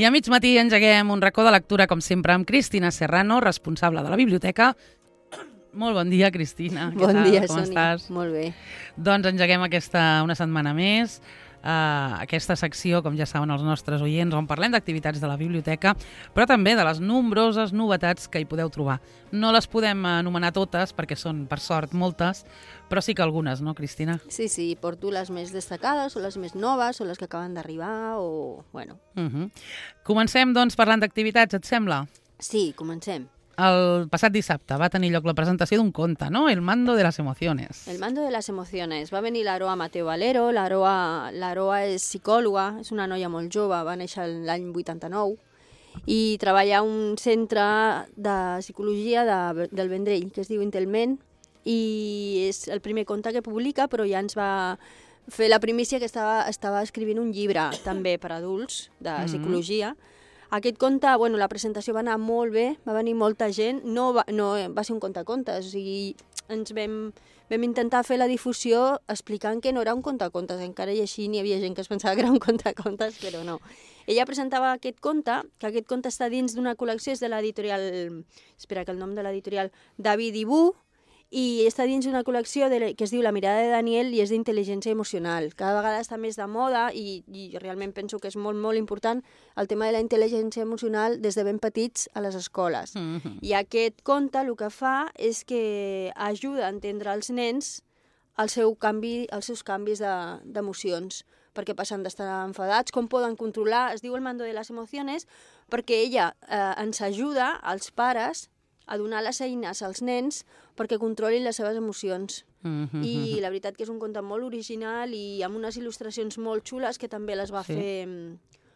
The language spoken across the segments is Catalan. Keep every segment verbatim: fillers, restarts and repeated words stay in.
I a mig matí engeguem un racó de lectura, com sempre, amb Cristina Serrano, responsable de la biblioteca. Molt bon dia, Cristina. Què Bon tal? dia, Com Sònia. estàs? Molt bé. Doncs engeguem aquesta una setmana més, uh, aquesta secció, com ja saben els nostres oients, on parlem d'activitats de la biblioteca, però també de les nombroses novetats que hi podeu trobar. No les podem anomenar totes, perquè són, per sort, moltes, però sí que algunes, no, Cristina? Sí, sí, porto les més destacades, o les més noves, o les que acaben d'arribar, o... bueno. Uh -huh. Comencem, doncs, parlant d'activitats, et sembla? Sí, comencem. El passat dissabte va tenir lloc la presentació d'un conte, no? El mando de las emociones. El mando de las emociones. Va venir l'Aroa Mateo Valero. L'Aroa l'Aroa és psicòloga, és una noia molt jove, va néixer l'any vuitanta-nou i treballa a un centre de psicologia de, del Vendrell, que es diu Intelment, i és el primer conte que publica, però ja ens va fer la primícia que estava, estava escrivint un llibre també per adults de psicologia. Mm-hmm. Aquest conte, bueno, la presentació va anar molt bé, va venir molta gent, no va, no, va ser un contacontes, o sigui, ens vam, vam intentar fer la difusió explicant que no era un contacontes, encara i així n'hi havia gent que es pensava que era un contacontes, però no. Ella presentava aquest conte, que aquest conte està dins d'una col·lecció, és de l'editorial, espera que el nom de l'editorial, David i Bu, i està dins d'una col·lecció de, que es diu La mirada de Daniel i és d'intel·ligència emocional. Cada vegada està més de moda i, i realment penso que és molt, molt important el tema de la intel·ligència emocional des de ben petits a les escoles. Mm-hmm. I aquest conte el que fa és que ajuda a entendre als nens el seu canvi, els seus canvis d'emocions, de, perquè passen d'estar enfadats, com poden controlar, es diu el mando de les emociones, perquè ella eh, ens ajuda, als pares, a donar les eines als nens perquè controlin les seves emocions. Mm-hmm. I la veritat que és un conte molt original i amb unes il·lustracions molt xules que també les va sí. fer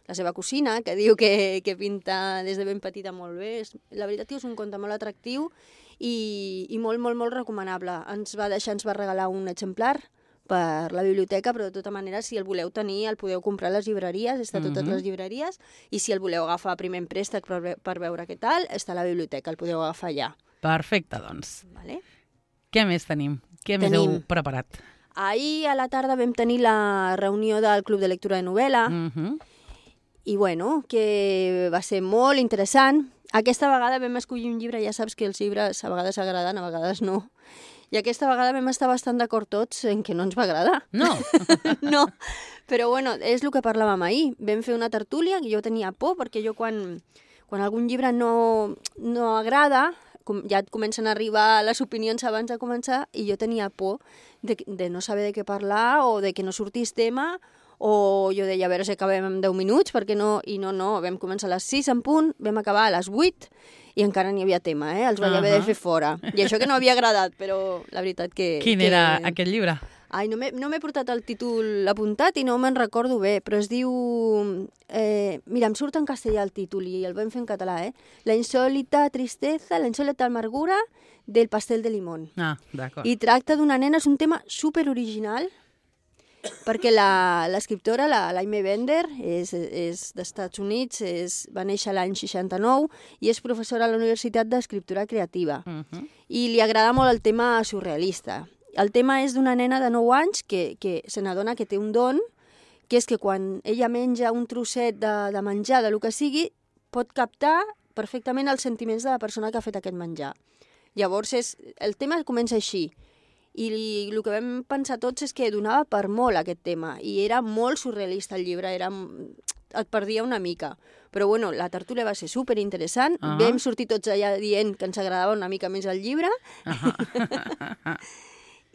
la seva cosina, que diu que, que pinta des de ben petita molt bé. La veritat que és un conte molt atractiu i, i molt, molt, molt recomanable. Ens va deixar, ens va regalar un exemplar per la biblioteca, però de tota manera, si el voleu tenir, el podeu comprar a les llibreries, està a totes mm-hmm. les llibreries, i si el voleu agafar primer en préstec per, per veure què tal, està a la biblioteca, el podeu agafar allà. Perfecte, doncs. Vale. Què més tenim? Què tenim. més heu preparat? Ahir a la tarda vam tenir la reunió del Club de Lectura de Novel·la, mm-hmm. i bueno, que va ser molt interessant. Aquesta vegada vam escollir un llibre, ja saps que els llibres a vegades agraden, a vegades no, i aquesta vegada vam estar bastant d'acord tots en que no ens va agradar. No. No, però bueno, és el que parlàvem ahir. Vam fer una tertúlia, que jo tenia por, perquè jo quan, quan algun llibre no, no agrada, com, ja et comencen a arribar les opinions abans de començar, i jo tenia por de, de no saber de què parlar, o de que no sortís tema, o jo deia, a veure si acabem en deu minuts, perquè no, i no, no, vam començar a les sis en punt, vam acabar a les vuit, i encara n'hi havia tema, eh? Els vaig uh-huh. haver de fer fora. I això que no havia agradat, però la veritat que... Quin que... era aquest llibre? Ai, no m'he no portat el títol apuntat i no me'n recordo bé, però es diu... Eh, mira, em surt en castellà el títol i el vam fer en català, eh? La insòlita tristeza, la insòlita amargura del pastel de limón. Ah, d'acord. I tracta d'una nena, és un tema super original, perquè l'escriptora, la, la Aimee Bender, és, és d'Estats Units, és, va néixer l'any seixanta-nou i és professora a la Universitat d'Escriptura Creativa. Uh-huh. I li agrada molt el tema surrealista. El tema és d'una nena de nou anys que, que se n'adona que té un don, que és que quan ella menja un trosset de, de menjar, de lo que sigui, pot captar perfectament els sentiments de la persona que ha fet aquest menjar. Llavors, és, el tema comença així. I el que vam pensar tots és que donava per molt aquest tema, i era molt surrealista el llibre, era, et perdia una mica. Però bueno, la tertúlia va ser superinteressant, uh-huh. vam sortir tots allà dient que ens agradava una mica més el llibre, uh-huh.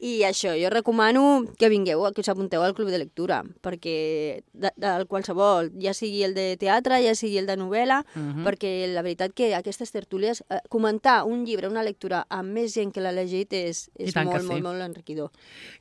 I això, jo recomano que vingueu, que us apunteu al Club de Lectura, perquè de, de qualsevol, ja sigui el de teatre, ja sigui el de novel·la, uh-huh. perquè la veritat que aquestes tertúlies, eh, comentar un llibre, una lectura amb més gent que l'ha llegit és, és molt, sí. molt, molt enriquidor.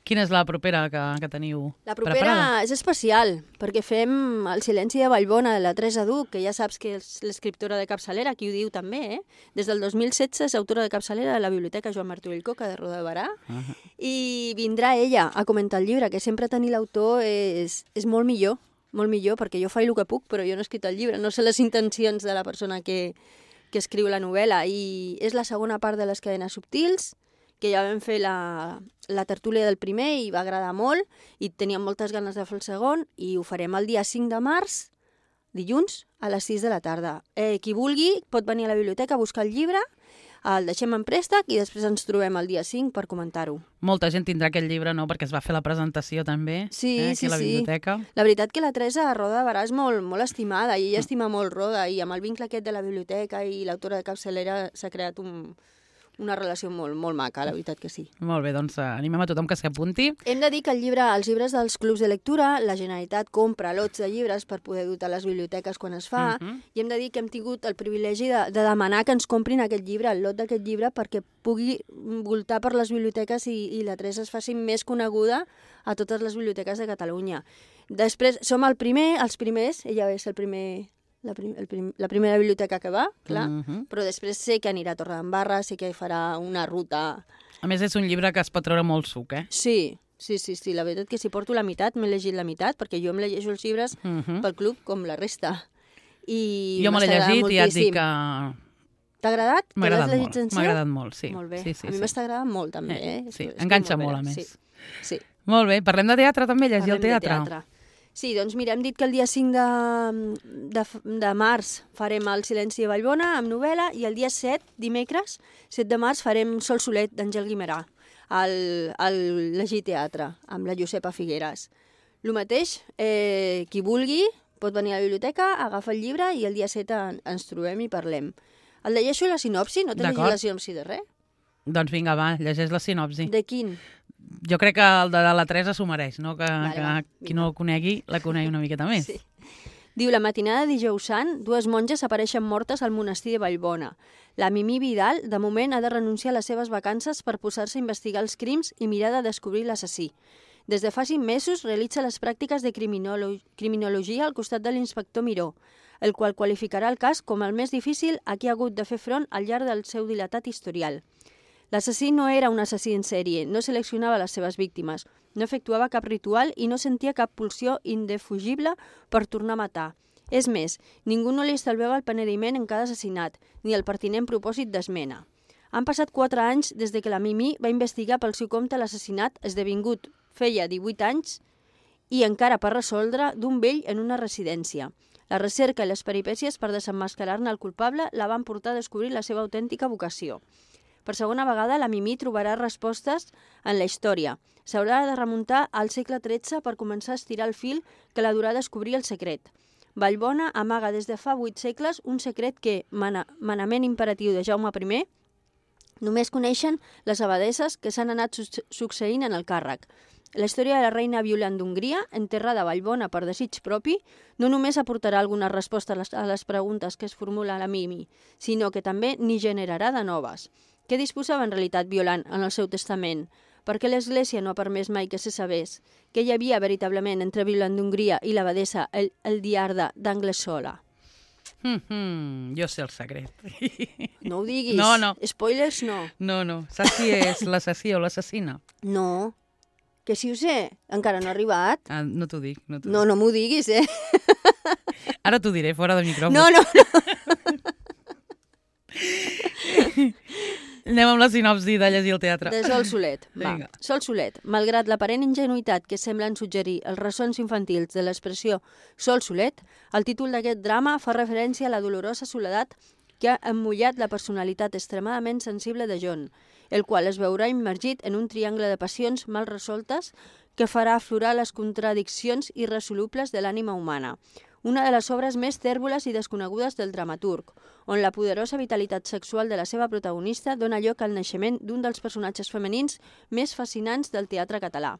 Quina és la propera que, que teniu La propera preparada? És especial, perquè fem El silenci de Vallbona, de la Teresa Duch, que ja saps que és l'escriptora de capçalera, qui ho diu també, eh? Des del dos mil setze és autora de capçalera de la Biblioteca Joan Martorell Coca de Roda de Barà, uh-huh. i vindrà ella a comentar el llibre, que sempre tenir l'autor és, és molt millor, molt millor, perquè jo faig el que puc, però jo no he escrit el llibre, no sé les intencions de la persona que, que escriu la novel·la, i és la segona part de Les cadenes subtils, que ja vam fer la, la tertúlia del primer i va agradar molt, i teníem moltes ganes de fer el segon, i ho farem el dia cinc de març dilluns a les sis de la tarda. Eh, qui vulgui pot venir a la biblioteca a buscar el llibre, el deixem en préstec i després ens trobem el dia cinc per comentar-ho. Molta gent tindrà aquest llibre, no?, perquè es va fer la presentació també, sí, eh, aquí sí, a la biblioteca. Sí. La veritat que la Teresa Roda de Barà és molt, molt estimada i ella estima molt Roda i amb el vincle aquest de la biblioteca i l'autora de capçalera s'ha creat un... una relació molt, molt maca, la veritat que sí. Molt bé, doncs animem a tothom que s'hi apunti. Hem de dir que el llibre, els llibres dels clubs de lectura, la Generalitat compra lots de llibres per poder dotar les biblioteques quan es fa, uh -huh. i hem de dir que hem tingut el privilegi de, de demanar que ens comprin aquest llibre, el lot d'aquest llibre, perquè pugui voltar per les biblioteques i, i la Teresa es faci més coneguda a totes les biblioteques de Catalunya. Després, som el primer, els primers, ella és el primer... La, prim, el prim, la primera biblioteca que va, clar, uh -huh. però després sé que anirà a Torredembarra, sé que farà una ruta... A més, és un llibre que es pot treure molt suc, eh? Sí, sí, sí, sí. La veritat que si porto la meitat, m'he llegit la meitat, perquè jo em llegeixo els llibres uh -huh. pel club com la resta. I jo me l'he llegit i ja et dic que... T'ha agradat? M'ha agradat molt, m'ha agradat molt, sí. Molt bé, sí, sí, a mi sí. m'està agradant molt, també, eh? Sí, és, enganxa és molt, molt a més. Sí, sí. Molt bé, parlem de teatre també, llegir parlem el teatre. De teatre. Sí, doncs mira, hem dit que el dia cinc de, de, de març farem el Silenci de Vallbona amb novel·la i el dia set, dimecres, set de març, farem Sol Solet d'Àngel Guimerà al, al Llegir Teatre amb la Josepa Figueres. El mateix, eh, qui vulgui pot venir a la biblioteca, agafa el llibre i el dia set en, ens trobem i parlem. El llegeixo la sinopsi? No t'he llegit la sinopsi de res? Doncs vinga, va, llegeix la sinopsi. De quin? Jo crec que el de la Teresa s'ho mereix, no? Que, vale, que va, qui no el conegui, la conegui una miqueta més. Sí. Diu, la matinada de dijous sant, dues monges apareixen mortes al monestir de Vallbona. La Mimí Vidal, de moment, ha de renunciar a les seves vacances per posar-se a investigar els crims i mirar de descobrir l'assassí. Des de fa cinc mesos realitza les pràctiques de criminolo criminologia al costat de l'inspector Miró, el qual qualificarà el cas com el més difícil a qui ha hagut de fer front al llarg del seu dilatat historial. L'assassí no era un assassí en sèrie, no seleccionava les seves víctimes, no efectuava cap ritual i no sentia cap pulsió indefugible per tornar a matar. És més, ningú no li estalviava el penediment en cada assassinat, ni el pertinent propòsit d'esmena. Han passat quatre anys des de que la Mimí va investigar pel seu compte l'assassinat esdevingut feia divuit anys i encara per resoldre d'un vell en una residència. La recerca i les peripècies per desemmascarar-ne el culpable la van portar a descobrir la seva autèntica vocació. Per segona vegada, la Mimí trobarà respostes en la història. S'haurà de remuntar al segle tretze per començar a estirar el fil que la durà a descobrir el secret. Vallbona amaga des de fa vuit segles un secret que, mana, manament imperatiu de Jaume primer, només coneixen les abadesses que s'han anat su succeint en el càrrec. La història de la reina Violant d'Hongria, enterrada a Vallbona per desig propi, no només aportarà alguna resposta a les, a les preguntes que es formula la Mimi, sinó que també n'hi generarà de noves. Què disposava en realitat Violant en el seu testament? Per què l'Església no ha permès mai que se sabés? Què hi havia veritablement entre Violant d'Hongria i l'abadessa el, el diarda d'Anglesola? Mm -hmm, jo sé el secret. No ho diguis. No, no. Spoilers, no. No, no. Saps qui és l'assassí o l'assassina? No. Que si ho sé, encara no ha arribat. Ah, no t'ho dic. No, no, no m'ho diguis, eh? Ara t'ho diré, fora de micròfon. No, no, no. Anem amb la sinopsi de llegir el teatre. De Sol Solet. Va. Sol Solet, malgrat l'aparent ingenuïtat que semblen suggerir els ressons infantils de l'expressió Sol Solet, el títol d'aquest drama fa referència a la dolorosa soledat que ha emmullat la personalitat extremadament sensible de John, el qual es veurà immergit en un triangle de passions mal resoltes que farà aflorar les contradiccions irresolubles de l'ànima humana. Una de les obres més tèrboles i desconegudes del dramaturg, on la poderosa vitalitat sexual de la seva protagonista dona lloc al naixement d'un dels personatges femenins més fascinants del teatre català.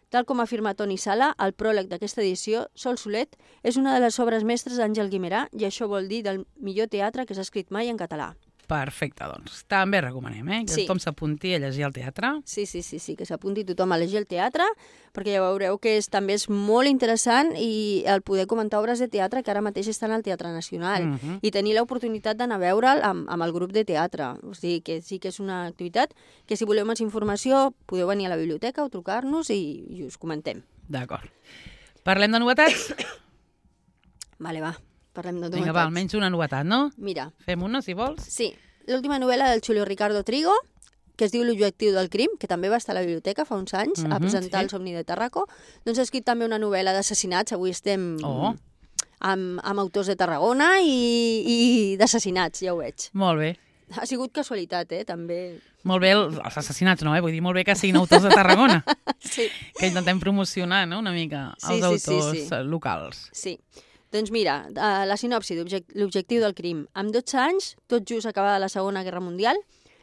Tal com afirma Toni Sala, al pròleg d'aquesta edició, Sol Solet és una de les obres mestres d'Àngel Guimerà i això vol dir del millor teatre que s'ha escrit mai en català. Perfecte, doncs. També recomanem, eh? Que sí. tothom s'apunti a llegir el teatre. Sí, sí, sí, sí que s'apunti tothom a llegir el teatre, perquè ja veureu que és, també és molt interessant i el poder comentar obres de teatre que ara mateix estan al Teatre Nacional uh -huh. i tenir l'oportunitat d'anar a veure'l amb, amb el grup de teatre. O sigui que sí que és una activitat que si voleu més informació podeu venir a la biblioteca o trucar-nos i, i us comentem. D'acord. Parlem de novetats? Vale, va. Parlem de novetats. Vinga, va, almenys una novetat, no? Mira. Fem una, si vols. Sí. L'última novel·la del Julio Ricardo Trigo, que es diu L'objectiu del crim, que també va estar a la biblioteca fa uns anys, uh -huh, a presentar sí. el Somni de Tarraco. Doncs ha escrit també una novel·la d'assassinats. Avui estem oh. amb, amb autors de Tarragona i, i d'assassinats, ja ho veig. Molt bé. Ha sigut casualitat, eh, també. Molt bé el, els assassinats, no? Eh? Vull dir, molt bé que siguin autors de Tarragona. Sí. Que intentem promocionar, no?, una mica els Sí, sí, autors sí, sí. locals. Sí. Doncs mira, eh, la sinopsi l'objectiu del crim. Amb dotze anys, tot just acabada la Segona Guerra Mundial,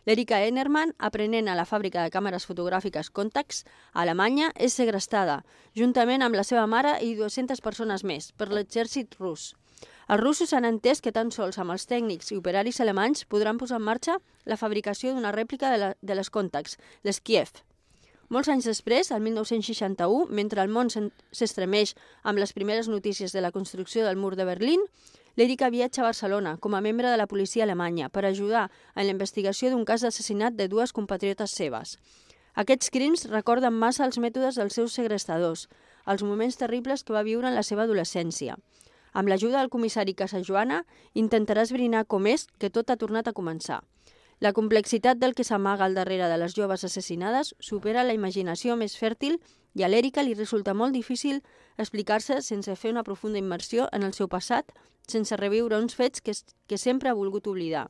l'Erika Ennerman, aprenent a la fàbrica de càmeres fotogràfiques Contax, a Alemanya, és segrestada, juntament amb la seva mare i dues-centes persones més, per l'exèrcit rus. Els russos han entès que tan sols amb els tècnics i operaris alemanys podran posar en marxa la fabricació d'una rèplica de, la, de les Contax, les Kiev. Molts anys després, el mil nou-cents seixanta-u, mentre el món s'estremeix amb les primeres notícies de la construcció del mur de Berlín, l'Erika viatja a Barcelona com a membre de la policia alemanya per ajudar en la investigació d'un cas d'assassinat de dues compatriotes seves. Aquests crims recorden massa els mètodes dels seus segrestadors, els moments terribles que va viure en la seva adolescència. Amb l'ajuda del comissari Casajoana, intentarà esbrinar com és que tot ha tornat a començar. La complexitat del que s'amaga al darrere de les joves assassinades supera la imaginació més fèrtil i a l'Erika li resulta molt difícil explicar-se sense fer una profunda immersió en el seu passat, sense reviure uns fets que, que sempre ha volgut oblidar.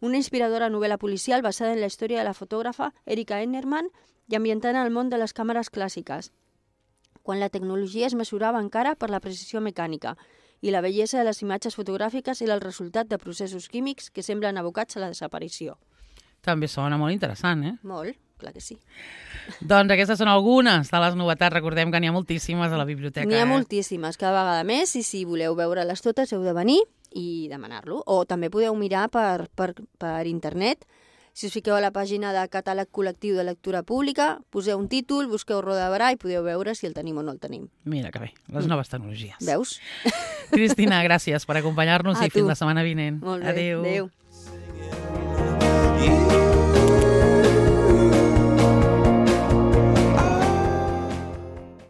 Una inspiradora novel·la policial basada en la història de la fotògrafa Erika Ennerman i ambientant el món de les càmeres clàssiques, quan la tecnologia es mesurava encara per la precisió mecànica i la bellesa de les imatges fotogràfiques era el resultat de processos químics que semblen abocats a la desaparició. També sona molt interessant, eh? Molt, clar que sí. Doncs aquestes són algunes de les novetats. Recordem que n'hi ha moltíssimes a la biblioteca. N'hi ha eh? moltíssimes, cada vegada més, i si voleu veure-les totes heu de venir i demanar-lo. O també podeu mirar per, per, per internet. Si us fiqueu a la pàgina de Catàleg Col·lectiu de Lectura Pública, poseu un títol, busqueu Roda de Barà i podeu veure si el tenim o no el tenim. Mira que bé, les noves tecnologies. Veus? Cristina, gràcies per acompanyar-nos A i fins tu. la setmana vinent. Molt bé, Adéu. adéu.